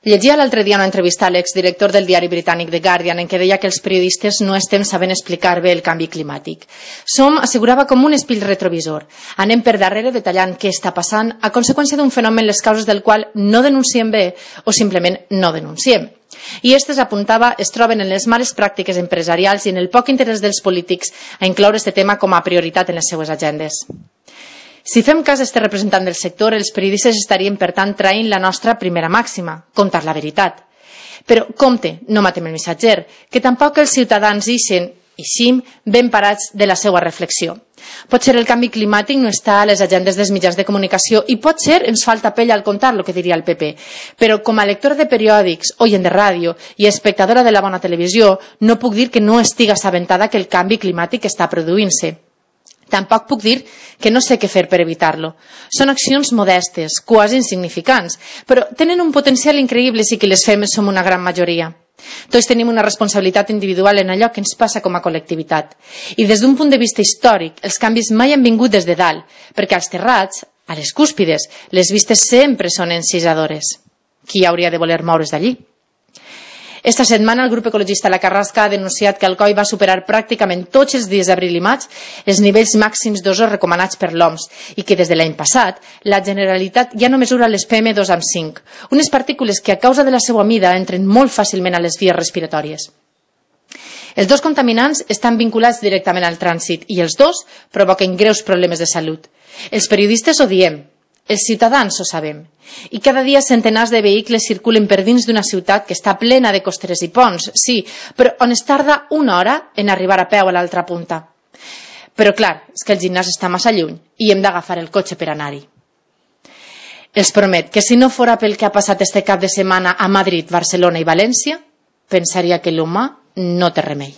Llegia l'altre dia una entrevista a l'exdirector del diari britànic The Guardian en què deia que els periodistes no estem sabent explicar bé el canvi climàtic. Som, assegurava, com un espill retrovisor. Anem per darrere detallant què està passant a conseqüència d'un fenomen les causes del qual no denunciem bé o simplement no denunciem. I aquestes, apuntava, es troben en les males pràctiques empresarials i en el poc interès dels polítics a incloure aquest tema com a prioritat en les seues agendes. Si fem cas a este representant del sector, els periodistes estaríem, per tant, traint la nostra primera màxima, contar la veritat. Però, compte, no matem el missatger, que tampoc els ciutadans ixim ben parats de la seva reflexió. Potser el canvi climàtic no està a les agendes dels mitjans de comunicació i potser ens falta pell al contar, el que diria el PP. Però com a lectora de periòdics, oient de ràdio i espectadora de la bona televisió, no puc dir que no estiga assabentada que el canvi climàtic està produint-se. Tampoc puc dir que no sé què fer per evitar-lo. Són accions modestes, quasi insignificants, però tenen un potencial increïble si qui les fem som una gran majoria. Tots tenim una responsabilitat individual en allò que ens passa com a col·lectivitat. I des d'un punt de vista històric, els canvis mai han vingut des de dalt, perquè als terrats, a les cúspides, les vistes sempre són encisadores. Qui hauria de voler moure's d'allí? Esta setmana el grup ecologista La Carrasca ha denunciat que Alcoi va superar pràcticament tots els dies d'abril i maig els nivells màxims d'ozó recomanats per l'OMS i que des de l'any passat la Generalitat ja no mesura les PM2,5, unes partícules que a causa de la seva mida entren molt fàcilment a les vies respiratòries. Els dos contaminants estan vinculats directament al trànsit i els dos provoquen greus problemes de salut. Els periodistes ho diem, els ciutadans ho sabem. I cada dia centenars de vehicles circulen per dins d'una ciutat que està plena de costeres i ponts, sí, però on es tarda una hora en arribar a peu a l'altra punta. Però clar, és que el gimnàs està massa lluny i hem d'agafar el cotxe per anar-hi. Els promet que si no fora pel que ha passat este cap de setmana a Madrid, Barcelona i València, pensaria que l'humà no té remei.